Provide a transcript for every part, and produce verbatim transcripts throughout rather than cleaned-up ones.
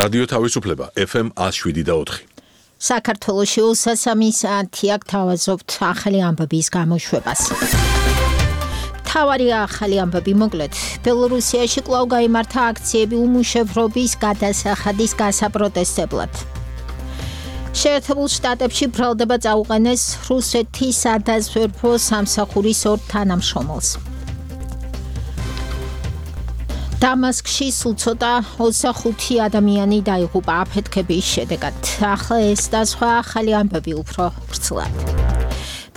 რადიო თავისუფლება ეფ ემ one oh seven და four. საქართველოში უსასამი საათი აქ თავაზობთ ახალი ამბების გამოშვებას. თავარი ახალი ამბები მოკლედ. ბელორუსიაში კვლავ გაიმართა აქციები უმუშევრობის გადასახადის გასაპროტესტებლად. შეერთებულ შტატებში ბრალდება წაუყენეს რუსეთის სადაზვერვო სამსახურის ორ თანამშრომელს. დამასკში სულ ცოტა ოცდახუთი ადამიანი დაიღუპა აფეთქების შედეგად. ახლა ეს და სხვა ახალი ამბები უფრო ვრცლად.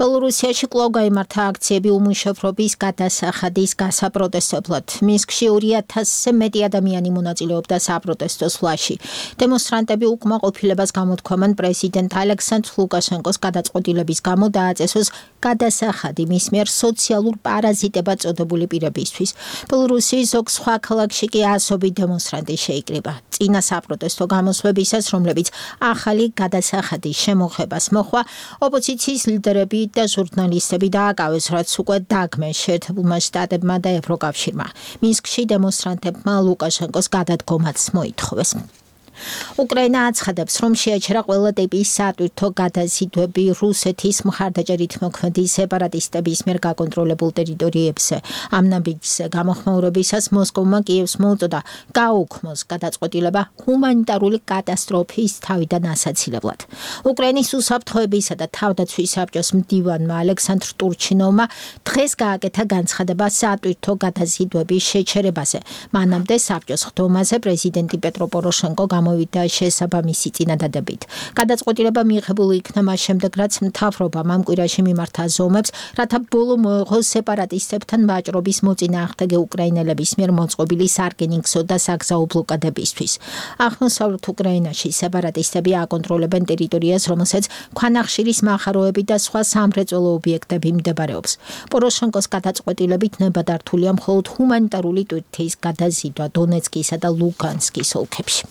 ბელორუსიაში კვლავ გაიმართა აქციები უმუშევრობის გადასახადის გასაპროტესტებლად. მინსკში ორი ათასზე მეტი ადამიანი მონაწილეობდა საპროტესტო სვლაში. დემონსტრანტები უკმაყოფილებას გამოთქვამენ პრეზიდენტ ალექსანდრ ლუკაშენკოს გადაწყვეტილების გამო დააწესოს გადასახადი მის მიერ სოციალურ პარაზიტებად წოდებული პირებისთვის. ბელორუსიის ზოგ სხვა ქალაქში კი ასობით დემონსტრანტი შეიკრიბა. წინა საპროტესტო გამოსვლებისას, რომლებიც ახალი გადასახადის შემოღებას მოჰყვა, ოპოზიციის ლიდერები და ჟურნალისტები დააკავეს, რაც უკვე დაგმეს შეერთებულმა შტატებმა და ევროკავშირმა. მინსკში დემონსტრანტებმა ლუკაშენკოს გადადგომაც მოითხოვეს. უკრაინა აცხადებს, რომ შეაჩერა ყველა ტიპის სატვირთო გადაზიდვები რუსეთის მხარდაჭერით მოქმედი სეპარატისტების მიერ გაკონტროლებულ ტერიტორიებზე. ამ ნაბიჯზე გამოხმაურებისას მოსკოვმა კიევს მოუწოდა გაუქმოს გადაწყვეტილება ჰუმანიტარული კატასტროფის თავიდან ასაცილებლად. უკრაინის უსაფრთხოებისა და თავდაცვის საბჭოს მდივანმა ალექსანდრ ტურჩინოვმა დღეს გააკეთა განცხადება სატვირთო გადაზიდვების შეჩერებაზე. მანამდე საბჭოს ხდომაზე პრეზიდენტი პეტრო პოროშენკო გამოვიდა შესაბამისი წინადადებით. გადაწყვეტილება მიიღებული იქნა მას შემდეგ, რაც მთავრობამ ამ კვირაში მიმართა ზომებს, რათა ბოლო მოეღოს სეპარატისტებთან ვაჭრობის მოწინააღმდეგე უკრაინელების მიერ მოწყობილი სარკინიგზო და საგზაო ბლოკადებისთვის. აღმოსავლეთ უკრაინაში სეპარატისტები აკონტროლებენ ტერიტორიას, რომელსაც ქვანახშირის მახაროები და სხვა სამრეწველო ობიექტები მდებარეობს. პოროშენკოს გადაწყვეტილებით ნებადართულია მხოლოდ ჰუმანიტარული ტვირთის გადაზიდვა დონეცკისა და ლუგანსკის ოლქებში.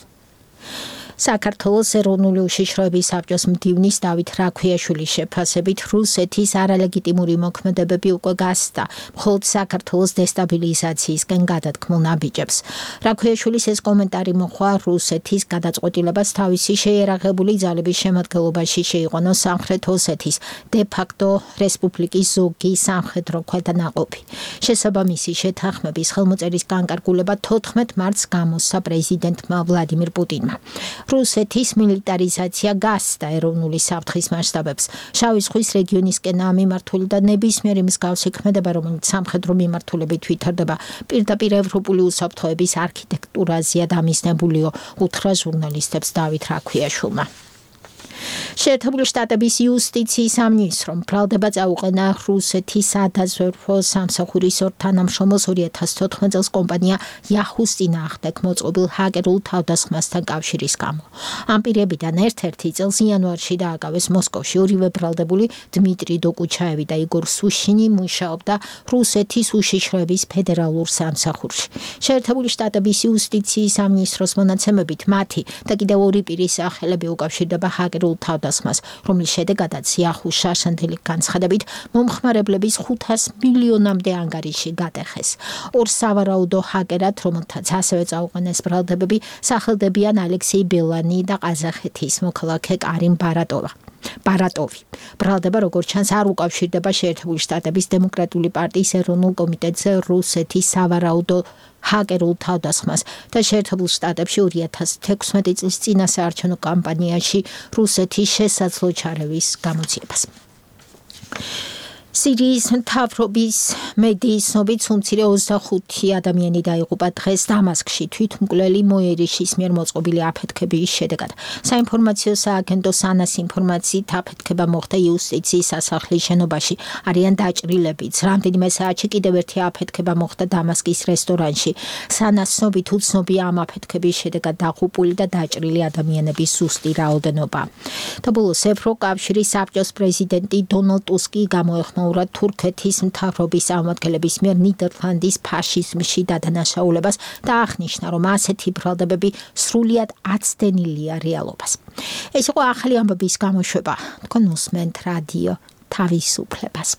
საქართველოს ეროვნული უშიშროების საბჭოს მდივნის დავით რაქვიაშვილის შეფასებით რუსეთის არალეგიტიმური მოქმედებები უკვე გასცდა მხოლოდ საქართველოს დესტაბილიზაციისკენ გადადგმულ ნაბიჯებს. რაქვიაშვილის ეს კომენტარი მოჰყვა რუსეთის გადაწყვეტილებას თავისი შეიარაღებული ძალების შემადგენლობაში შეიყვანოს სამხრეთ ოსეთის დე-ფაქტო რესპუბლიკის ზოგი სამხედრო ქვედანაყოფი. შესაბამისი შეთანხმების ხელმოწერის განკარგულება თოთხმეტ მარტს გამოსცა პრეზიდენტმა ვლადიმირ პუტინმა. რუსეთის მილიტარიზაცია გასცდა ეროვნული საფრთხის მასშტაბებს. შავი ზღვის რეგიონისკენაა მიმართული და ნებისმიერი მსგავსი ქმედება, რომელიც სამხედრო მიმართულებით ვითარდება, პირდაპირ ევროპული უსაფრთხოების არქიტექტურაზეა დამიზნებულიო, უთხრა ჟურნალისტებს დავით რაქვიაშვილმა. შეერთებული შტატების იუსტიციის სამინისტრომ ბრალდება წაუყენა რუსეთის სადაზვერვო სამსახურის ორ თანამშრომელს ორი ათას თოთხმეტ წელს კომპანია Yahoo-ს წინააღმდეგ მოწყობილ ჰაკერულ თავდასხმასთან კავშირის გამო. ამ პირებიდან ერთ-ერთი წელს იანვარში დააკავეს მოსკოვში. ორივე ბრალდებული დმიტრი დოკუჩაევი და იგორ სუშინი მუშაობდა რუსეთის უშიშროების ფედერალურ სამსახურში. შეერთებული შტატების იუსტიციის სამინისტროს მონაცემებით მათი და კიდევ ორი პირის სახელები უკავშირდება ჰაკერულ თავდასხმას, რომლის შედეგადაც Yahoo შარშანდელი განცხადებით მომხმარებლების ხუთას მილიონამდე ანგარიში გადახეს. ორ სავარაუდო ჰაკერად, რომელთაც ასევე წაუყენეს ბრალდებები, სახელდებიან ალექსეი ბელანი და ყაზახეთის მოქალაქე კარიმ ბარატოვა. ბარატოვი. ბრალდება, როგორც ჩანს, არ უკავშირდება შეერთებული შტატების დემოკრატიული პარტიის ეროვნულ კომიტეტზე რუსეთის სავარაუდო ჰაკერულ თავდასხმას და შეერთებულ შტატებში ორი ათას თექვსმეტი წლის წინა საარჩევნო კამპანიაში რუსეთის შესაძლო ჩარევის გამოძიებას. სირიის მთავრობის მედიის ცნობით უმცირე ოცდახუთი ადამიანი დაიღუპა დღეს დამასკში თვითმკვლელი მოერიშის მიერ მოწყობილი აფეთქების შედეგად. საინფორმაციო სააგენტო სანას ინფორმაციით აფეთქება მოხდა იუსტიციის სასახლის შენობაში. არიან დაჭრილებიც. რამდენიმე საათში კიდევ ერთი აფეთქება მოხდა დამასკის რესტორანში. სანას ცნობით უცნობია ამ აფეთქების შედეგად დაღუპული და დაჭრილი ადამიანების ზუსტი რაოდენობა. და ბოლოს ევროკავშირის საბჭოს პრეზიდენტი დონალდ ტუსკი გამოეხმაურა თურქეთის მთავრობის წარმომადგენლების მიერ ნიდერლანდის ფაშიზმში დადანაშაულებას და აღნიშნა, რომ ასეთი ბრალდებები სრულიად აცდენილია რეალობას. ეს იყო ახალი ამბების გამოშვება. თქვენ უსმენთ რადიო თავისუფლებას.